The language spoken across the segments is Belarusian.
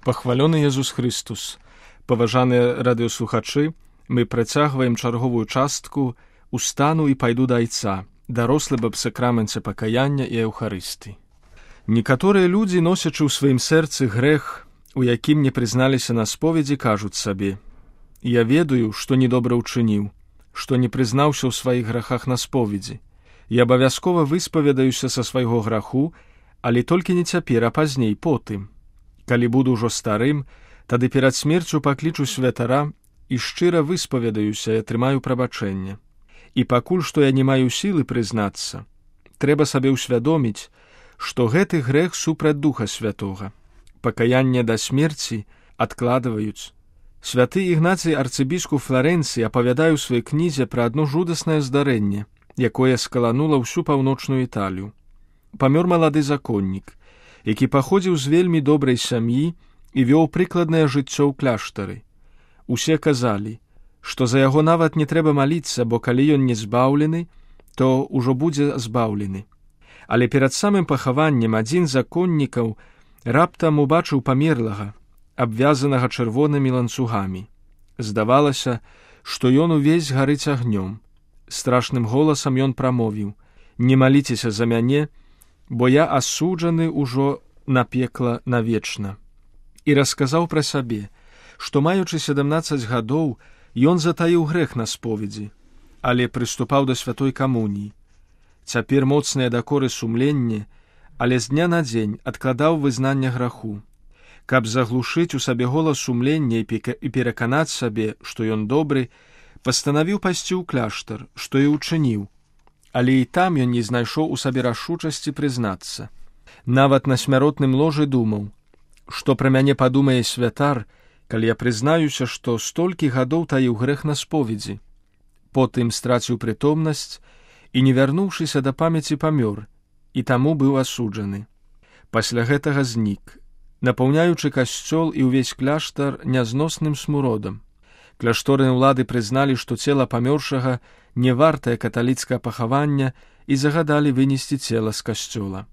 Пахвалёны Езус Христус. Паважаныя радыёслухачы, мы працягваем чарговую частку «Устану і пайду да Айца», дарослы аб сакраменце пакаяння і Еўхарыстыі. Некаторыя людзі, носячы ў сваім сэрцы грэх, у якім не прызналіся на споведзі, кажуць сабе: «Я ведаю, што недобра ўчыніў, што не прызнаўся ў сваіх грахах на споведзі. Я абавязкова выспаведаюся са свайго граху, але толькі не цяпер, а пазней, потым. Калі буду ўжо старым, тады перад смерцю паклічу святара і шчыра выспаведаюся і атрымаю прабачэнне. І пакуль што я не маю сілы прызнацца, трэба сабе ўсвядоміць, што гэты грэх супраць Духа Святога. Пакаянне да смерці адкладваюць. Святы Ігнацый арцыбіскуп Фларэнцыі апавядае ў сваёй кнізе пра адно жудаснае здарэнне, якое скаланула ўсю паўночную Італію. Памёр малады законнік, які паходзіў з вельмі добрай сям'і і вёў прыкладнае жыццё ў кляштары. Усе казалі, што за яго нават не трэба маліцца, бо калі ён не збаўлены, то ўжо будзе збаўлены. Але перад самым пахаваннем адзін з законнікаў раптам убачыў памерлага, абвязанага чырвонымі ланцугамі. Здавалася, што ён увесь гарыць агнём. Страшным голасам ён прамовіў: «Не маліцеся за мяне, бо я асуджаны ўжо на пекла навечна». І расказаў пра сабе, што, маючы 17 гадоў, ён затаіў грэх на споведзі, але прыступаў да святой камуніі. Цяпер моцныя дакоры сумленне, але з дня на дзень адкладаў вызнання граху. Каб заглушыць у сабе голас сумлення і пераканаць сабе, што ён добры, пастанавіў пайсці ў кляштар, што і ўчыніў. Але і там ён не знайшоў у сабе рашучасці прызнацца. Нават на смяротным ложы думаў, што пра мяне падумае святар, калі я прызнаюся, што столькі гадоў таіў грэх на споведзі. Потым страціў прытомнасць і, не вярнуўшыся да памяці, памёр, і таму быў асуджаны. Пасля гэтага знік, напаўняючы касцёл і ўвесь кляштар нязносным смуродам. Кляшторныя ўлады прызналі, што цела памёршага не вартае каталіцкае пахавання і загадалі вынесці цела з касцёла.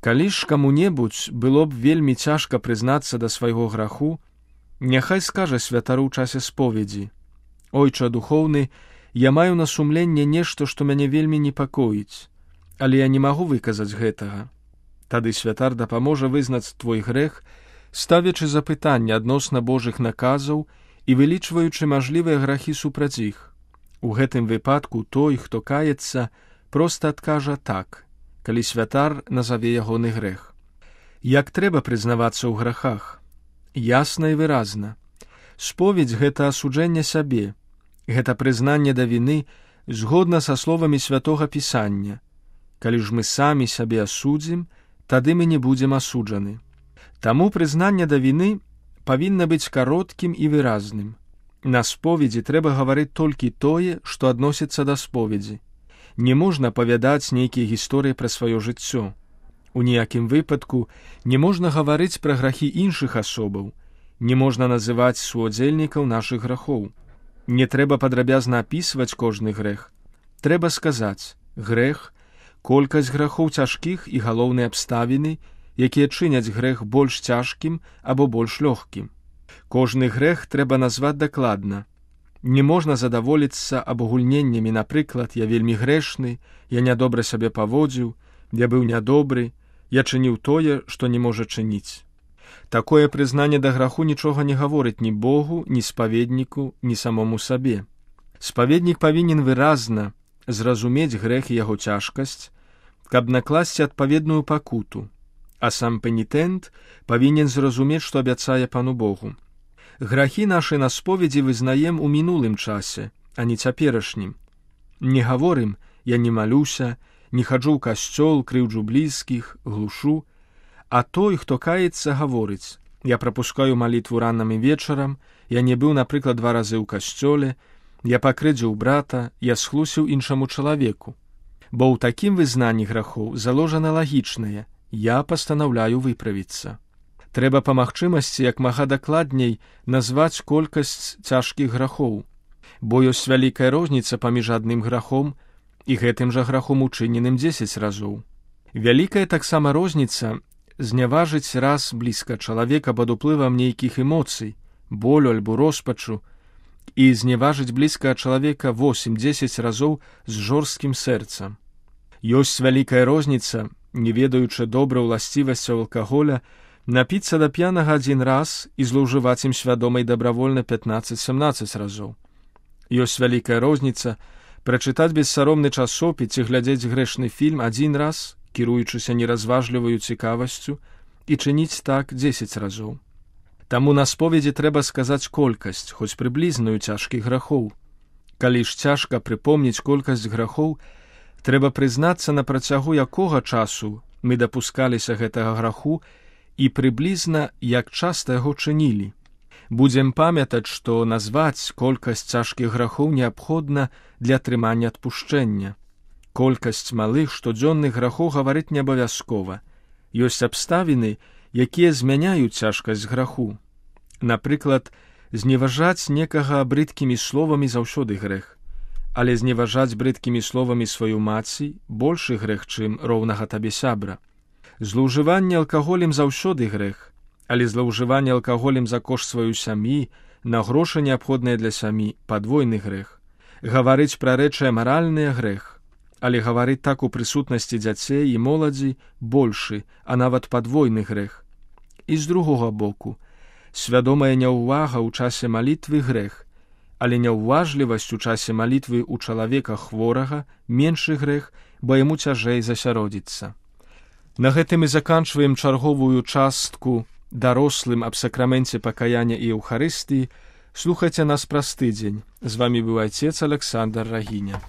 Калі ж каму-небудзь было б вельмі цяжка прызнацца да свайго граху, няхай скажа святару ў часе споведзі: «Ойча духоўны, я маю на сумленне нешта, што мяне вельмі непакоіць, але я не магу выказаць гэтага». Тады святар дапаможа вызнаць твой грэх, ставячы запытанне адносна Божых наказаў і вылічваючы мажлівыя грахі супраць іх. У гэтым выпадку той, хто каецца, проста адкажа «так», калі святар назаве ягоны грэх. Як трэба прызнавацца ў грахах? Ясна і выразна. Споведзь — гэта асуджэнне сябе, гэта прызнанне да віны згодна са словамі святога Пісання. Калі ж мы самі сябе асудзім, тады мы не будзем асуджаны. Таму прызнанне да віны павінна быць кароткім і выразным. На споведзі трэба гаварыць толькі тое, што адносіцца да споведзі. Не можна апавядаць нейкія гісторыі пра сваё жыццё. У ніякім выпадку не можна гаварыць пра грахі іншых асобаў, не можна называць суудзельнікаў нашых грахоў. Не трэба падрабязна апісваць кожны грэх. Трэба сказаць: грэх, колькасць грахоў цяжкіх і галоўныя абставіны, якія чыняць грэх больш цяжкім або больш лёгкім. Кожны грэх трэба назваць дакладна. Не можна задаволіцца абагульненнямі, напрыклад: я вельмі грэшны, я нядобра сябе паводзіў, я быў нядобры, я чыніў тое, што не можа чыніць. Такое прызнанне да граху нічога не гаворыць ні Богу, ні спаведніку, ні самому сабе. Спаведнік павінен выразна зразумець грэх і яго цяжкасць, каб накласці адпаведную пакуту, а сам пенітэнт павінен зразумець, што абяцае Пану Богу. Грахі нашы на споведзі вызнаем у мінулым часе, а не цяперашнім. Не гаворым: я не малюся, не хаджу ў касцёл, крыўджу блізкіх, глушу. А той, хто каецца, гаворыць: я прапускаю малітву ранам і вечарам, я не быў, напрыклад, 2 разы ў касцёле, я пакрыўдзіў брата, я схлусіў іншаму чалавеку. Бо ў такім вызнанні грахоў заложана лагічнае: я пастанаўляю выправіцца. Трэба па магчымасці як мага дакладней назваць колькасць цяжкіх грахоў, бо ёсць вялікая розніца паміж адным грахом і гэтым жа грахом, учыненым 10 разоў. Вялікая таксама розніца зняважыць раз блізка чалавека пад уплывам нейкіх эмоцый, болю альбо роспачу, і зняважыць блізкага чалавека 8-10 разоў з жорсткім сэрцам. Ёсць вялікая розніца, не ведаючы добра ўласцівасцяў алкаголя, напіцца да п'янага адзін раз і злоўжываць ім свядома і дабравольна 15-17 разоў. Ёсць вялікая розніца прачытаць бессаромны часопіс ці глядзець грэшны фільм адзін раз, кіруючыся неразважліваю цікавасцю, і чыніць так 10 разоў. Таму на споведзі трэба сказаць колькасць, хоць прыблізную цяжкіх грахоў. Калі ж цяжка прыпомніць колькасць грахоў, трэба прызнацца, на працягу якога часу мы дапускаліся гэтага граху і прыблізна, як часта яго чынілі. Будзем памятаць, што назваць колькасць цяжкіх грахоў неабходна для атрымання адпушчэння. Колькасць малых штодзённых грахоў гаварыць не абавязкова. Ёсць абставіны, якія змяняюць цяжкасць граху. Напрыклад, зневажаць некага брыдкімі словамі заўсёды грэх, але зневажаць брыдкімі словамі сваю маці большы грэх, чым роўнага табе сябра. Злоўжыванне алкаголем заўсёды грэх, але злоўжыванне алкаголем за кошт сваёй сям'і, на грошы неабходныя для сям'і, падвойны грэх. Гаварыць пра рэчы амаральныя грэх, але гаварыць так у прысутнасці дзяцей і моладзі большы, а нават падвойны грэх. І з другога боку, свядомая няўвага ў часе малітвы грэх, але няўважлівасць у часе малітвы ў чалавека хворага меншы грэх, бо яму цяжэй засяродзіцца. На гэтым і заканчваем чарговую частку дарослым аб сакраменце пакаяння і Еўхарыстыі. Слухайце нас праз тыдзень. З вамі быў айцец Александр Рагіня.